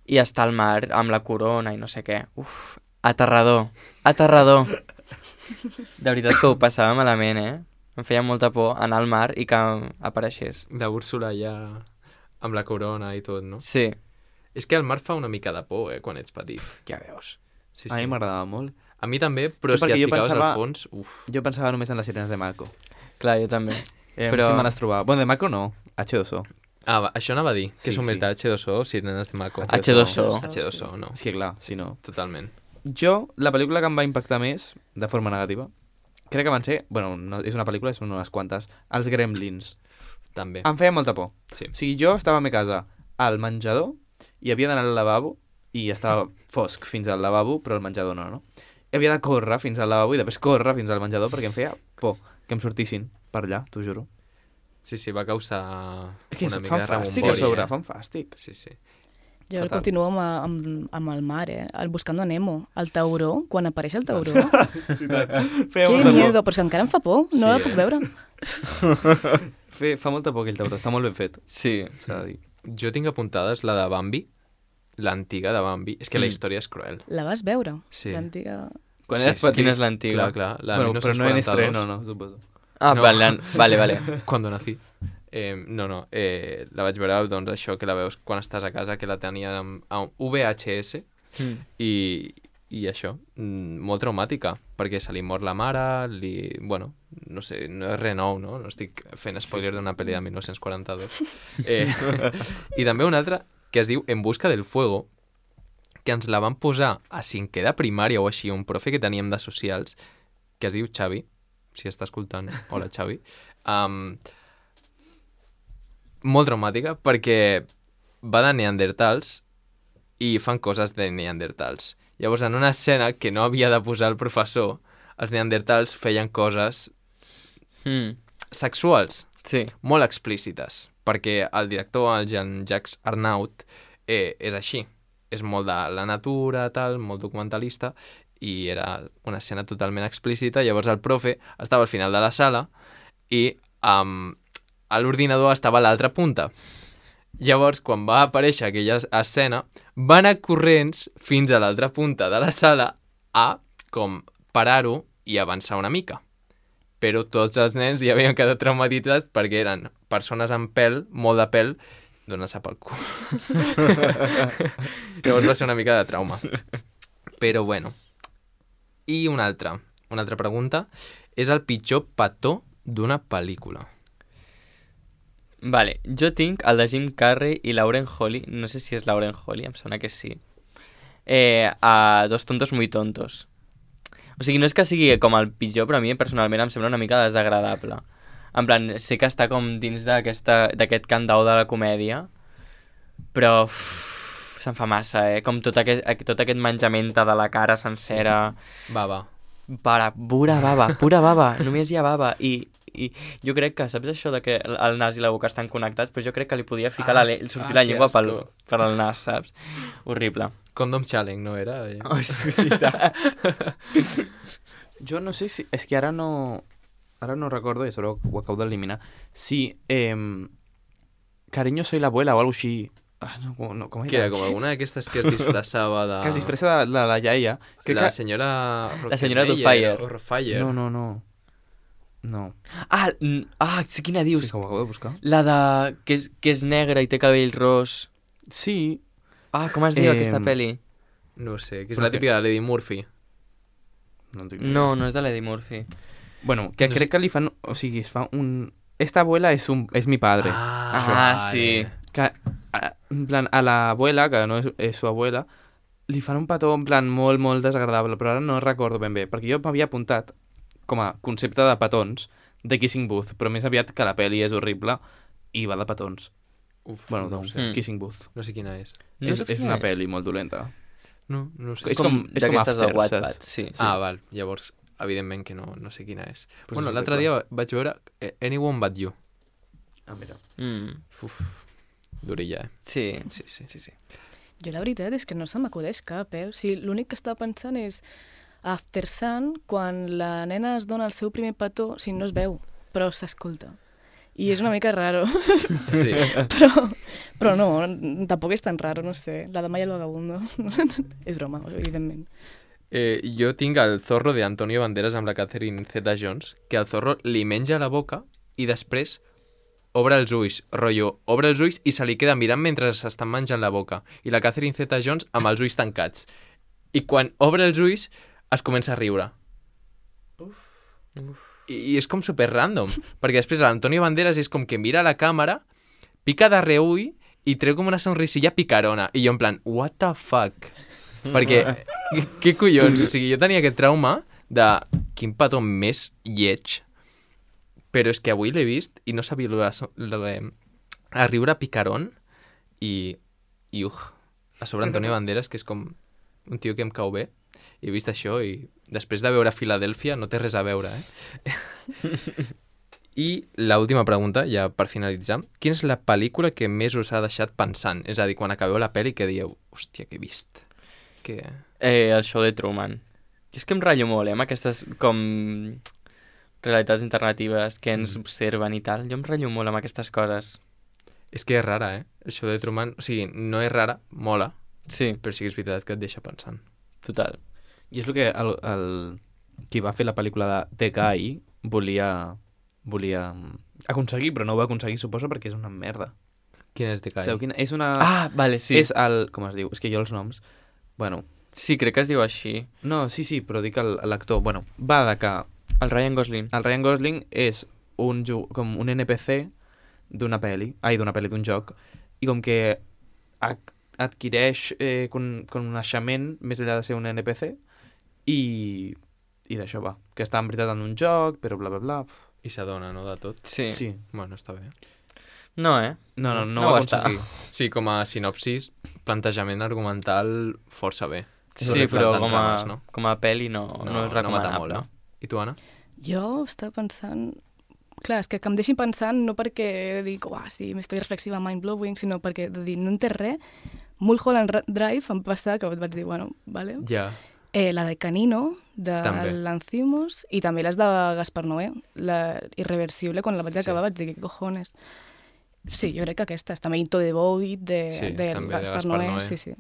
i està al mar amb la corona i no sé què. Uf, aterrador. De veritat que ho passava malament, Em feia molta por anar al mar i que apareixés. La Úrsula ja amb la corona i tot, no? Sí. És que el mar fa una mica de por, quan ets petit. Ja veus. Sí, A mi m'agradava molt. A mi també, però Sí, si perquè et jo ficaves pensava- al fons... Uf. Jo pensava només en les sirenes de Mako. Clar, jo també. Però... Però- Sí me les trobava. Bueno, de Mako no, H2O. Ah, això anava a dir, que Sí, són més sí. de H2O o Sirenes de Mako. H2O. H2O, no. És que clar, si no... Totalment. Jo, la pel·lícula que em va impactar més, de forma negativa, crec que van ser... Bueno, no, és una pel·lícula, són unes quantes. Els Gremlins. També. Em feia molta por. Sí. O sigui, jo estava a la meva casa al menjador i havia d'anar al lavabo i estava fosc fins al lavabo, però al menjador no, no? I havia de córrer fins al lavabo i després córrer fins al menjador perquè em feia por que em sortissin per allà, t'ho juro. Sí, sí, va causar Que una mica de fan fàstic a rebombori. sobre, fan fàstic. Sí, sí. Jo Fatal. continuo amb el mar, el Buscando a Nemo. El tauró, quan apareix el tauró. Feia Que molta miedo, però si encara em fa por, no la puc veure. Fa molta por aquell tauró, està molt ben fet, Sí. s'ha de dir. Jo tinc apuntades la de Bambi, l'antiga de Bambi. És que la Mm. història és cruel. La vas veure? Sí. L'antiga... Quan Sí, eres sí. petit... Quina és l'antiga? Clar, clar. La Bueno, però no en 1942, estreno, no, suposo. Ah, No. vale. Cuando nací. No, la vaig veure, doncs això, que la veus quan estàs a casa, que la tenia a un VHS, Mm. i això, molt traumàtica, perquè se li mor la mare, bueno, no sé, no és res nou, no? No estic fent spoiler d'una pel·li de 1942. I també una altra que es diu En busca del fuego, que ens la van posar a 5è de primària o així, un profe que teníem de socials, que es diu Xavi, si està escoltant, hola Xavi, molt traumàtica perquè va de neandertals i fan coses de neandertals. Llavors, en una escena que no havia de posar el professor, els neandertals feien coses sexuals, Sí. molt explícites, perquè el director, el Jean-Jacques Arnaud, és així. És molt de la natura, tal, molt documentalista, i era una escena totalment explícita. Llavors el profe estava al final de la sala i a l'ordinador estava a l'altra punta. Llavors, quan va aparèixer aquella escena, va anar corrents fins a l'altra punta de la sala a com parar-ho i avançar una mica. Però tots els nens ja havien quedat traumatitzats perquè eren persones amb pèl, molt de pèl, donant-se pel cul. Llavors va ser una mica de trauma. Però bueno. I una altra pregunta. És el pitjor petó d'una pel·lícula. Vale, jo tinc el de Jim Carrey i Lauren Holly, no sé si és Lauren Holly, em sona que sí, a Dos tontos muy tontos. O sigui, no és que sigui com el pitjor, però a mi personalment em sembla una mica desagradable. En plan, sé que està com dins d'aquest candau de la comèdia, però se'n fa massa, com tot aquest menjament de la cara sencera. Bava. Pura bava, només hi ha bava. I jo crec que, saps això de que el nas i la boca estan connectats? Però jo crec que li podia ficar sortir la llengua per al nas, saps? Horrible. Condom challenge, no era? Oh, és veritat. Jo no sé si... És que ara no recordo, i això ho acabo d'eliminar. Si Cariño soy la abuela o alguna així... no, com Que era com alguna d'aquestes que es disfressava de... Que es disfressa de la iaia. La senyora... La senyora Doubtfire. O Rottweiler. No. Sí, quina dius? Sí, que ho acabo de buscar. La de... que és negra i té cabell ros. Sí. Com es diu aquesta pel·li? No sé, que és la típica de Lady Murphy. No és de l'Eddie Murphy. Bueno, que crec que li fan... O sigui, es fa un... Esta abuela es mi padre. Sí. Que, en plan, a la abuela, que no és su abuela, li fan un petó en plan molt, molt desagradable, però ara no recordo ben bé, perquè jo m'havia apuntat com a concepte de petons de Kissing Booth, però més aviat que la pel·li és horrible i va de petons. Bueno, no doncs, sé. Kissing Booth. No sé quina és. És una pel·li molt dolenta. No sé. És com d'aquestes de After, Wattpad. saps? Sí. Val. Llavors, evidentment que no sé quina és. Pues Bueno, és l'altre dia vaig veure Anyone But You. Mira. Uf, durilla, Sí. Jo la veritat és que no se m'acudeix cap, O sigui, l'únic que estava pensant és After Sun, quan la nena es dona el seu primer petó, o sigui, no es veu, però s'escolta. I és una mica raro. Sí. però no, tampoc és tan raro, no sé. La dama i el vagabundo. És broma, evidentment. Jo tinc el Zorro de Antonio Banderas amb la Catherine Zeta-Jones, que el Zorro li menja la boca i després obre els ulls, rotllo, obre els ulls i se li queda mirant mentre s'estan menjant la boca. I la Catherine Zeta-Jones amb els ulls tancats. I quan obre els ulls es comença a riure. I és com super random, perquè després l'Antonio Banderas és com que mira a la càmera, pica de reull i treu com una sonrisilla picarona. I jo en plan, what the fuck? Perquè, què collons? O sigui, jo tenia aquest trauma de quin petó més lleig, però és que avui l'he vist i no sabia lo de a riure picarón i a sobre Antonio Banderas, que és com un tio que em cau bé, i he vist això i després de veure Filadèlfia no té res a veure, I l'última pregunta, ja per finalitzar, quina és la pel·lícula que més us ha deixat pensant? És a dir, quan acabeu la pel·li que dieu, hòstia, què he vist? El show de Truman. Jo és que em ratllo molt, amb aquestes com realitats alternatives que ens observen i tal. Jo em ratllo molt amb aquestes coses. És que és rara, El show de Truman, o sigui, no és rara, mola, Sí, però sí que és veritat que et deixa pensant. total. I és el que qui va fer la pel·lícula de The Guy volia aconseguir, però no ho va aconseguir, suposo, perquè és una merda. Quin és de Kai? Sabeu quina? És una... Vale, sí. És el... Com es diu? És que jo els noms... Bueno, Sí, crec que es diu així. no, sí, però dic l'actor. Bueno, va de que El Ryan Gosling. el Ryan Gosling és com un NPC d'una pel·li, d'un joc, i com que adquireix coneixement més enllà de ser un NPC i d'això va. Que està en veritat en un joc, però bla, bla, bla. I s'adona, no?, de tot. Sí. Sí. Bueno, està bé. No, No No ho va va estar. aconseguir. Sí, com a sinopsis, plantejament argumental força bé. Sí, però Tant trames, no? com a pel·li no és mata recomanable. molt, no? I tu, Anna? Jo estava pensant... Clar, és que em deixin pensant no perquè dic, sí, m'estoy reflexiva, mind-blowing, sinó perquè de dir, no en té res. Mulholland Drive em passa que vaig dir, bueno, vale. Ja. La de Canino, de També. Lanthimos, i també les de Gaspar Noé, la Irreversible, quan la vaig acabar vaig dir, què cojones. Sí, jo crec que aquestes, també Into the Void, de també de Gaspar Gaspar Noé, Noé. sí.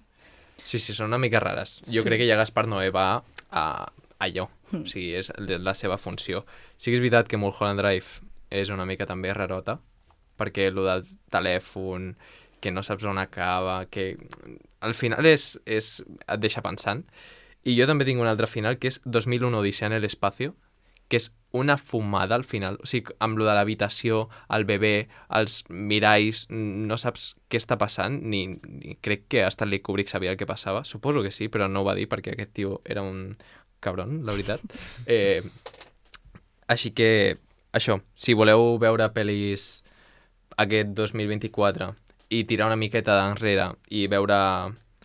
Sí, són una mica rares. Jo Sí. crec que ja Gaspar Noé va a allò. O sigui, és la seva funció. Sí que és veritat que Mulholland Drive és una mica també rarota, perquè el del telèfon, que no saps on acaba, que al final et deixa pensant. I jo també tinc un altre final, que és 2001 Odissea en el espacio, que és una fumada al final. O sigui, amb lo de l'habitació, el bebè, els miralls, no saps què està passant, ni crec que Stanley Kubrick sabia el que passava. Suposo que sí, però no ho va dir perquè aquest tio era un cabron, la veritat. Així que això, si voleu veure pel·lis aquest 2024 i tirar una miqueta d'enrere i veure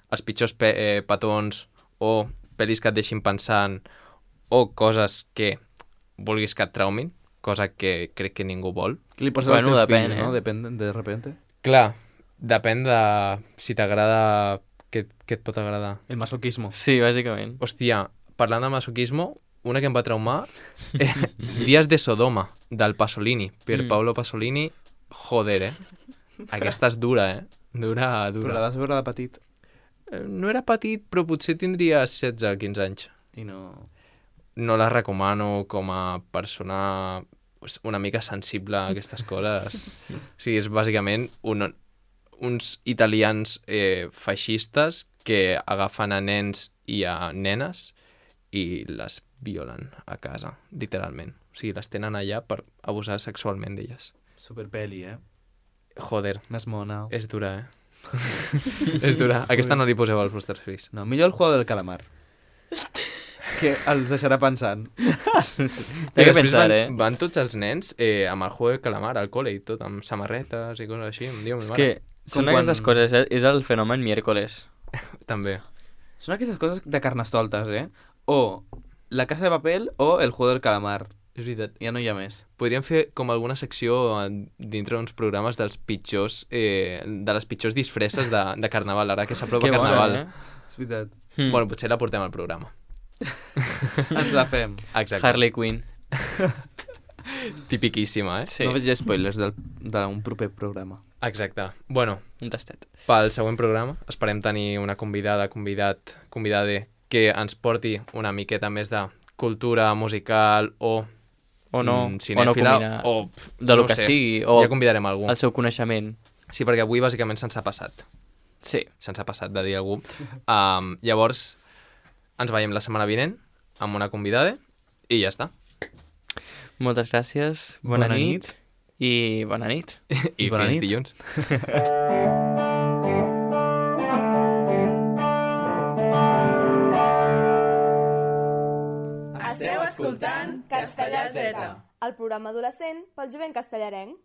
els pitjors petons o pel·lis que et deixin pensant o coses que vulguis que et traumin, cosa que crec que ningú vol. Que li poses Bueno, als teus depèn, fills, no? eh? Depèn de repente. Clar, depèn de si t'agrada, què et pot agradar. El masoquismo. Sí, bàsicament. Hòstia, parlant de masoquismo, una que em va traumar, Días de Sodoma, del Pasolini, Pierpaolo Pasolini, joder, Aquesta és dura, Dura. Però la vas veure de petit No era petit, però potser tindria 16-15 anys. i no... No la recomano com a persona una mica sensible a aquestes coses. O sigui, és bàsicament uns italians feixistes que agafen a nens i a nenes i les violen a casa, literalment. O sigui, les tenen allà per abusar sexualment d'elles. Superpeli, Joder, Més mona. és dura, és dura. Aquesta no li poseu als vostres fills. No, millor el juego del calamar. Que els deixarà pensant. Té que pensar, van tots els nens amb el juego de calamar al col·le i tot, amb samarretes i coses així. Em diu, És que són quan- aquestes coses, és el fenomen miércoles. També. Són aquestes coses de carnestoltes, O La Casa de Papel o el juego del calamar. És veritat. Ja no hi ha més. Podríem fer com alguna secció dintre d'uns programes dels pitjors, de les pitjors disfresses de Carnaval, ara que s'apropa Que bona, Carnaval. És veritat. Bueno, potser la portem al programa. Ens la fem. Exacte. Harley Quinn. Tipiquíssima, Sí. No veig spoilers d'un proper programa. Exacte. Bueno, Un tastet. pel següent programa esperem tenir una convidada que ens porti una miqueta més de cultura musical o O no, cinèfila, o no combinar o de lo no que sé, sigui, o ja convidarem algú. el seu coneixement. Sí, perquè avui bàsicament se'ns ha passat. Sí. Se'ns ha passat de dir a algú. Llavors, ens veiem la setmana vinent amb una convidada i ja està. Moltes gràcies, bona Bona nit. nit. I bona nit. I bona fins nit. dilluns. Esteu escoltant Castellà Z, el programa adolescent pel jovent castellarenc.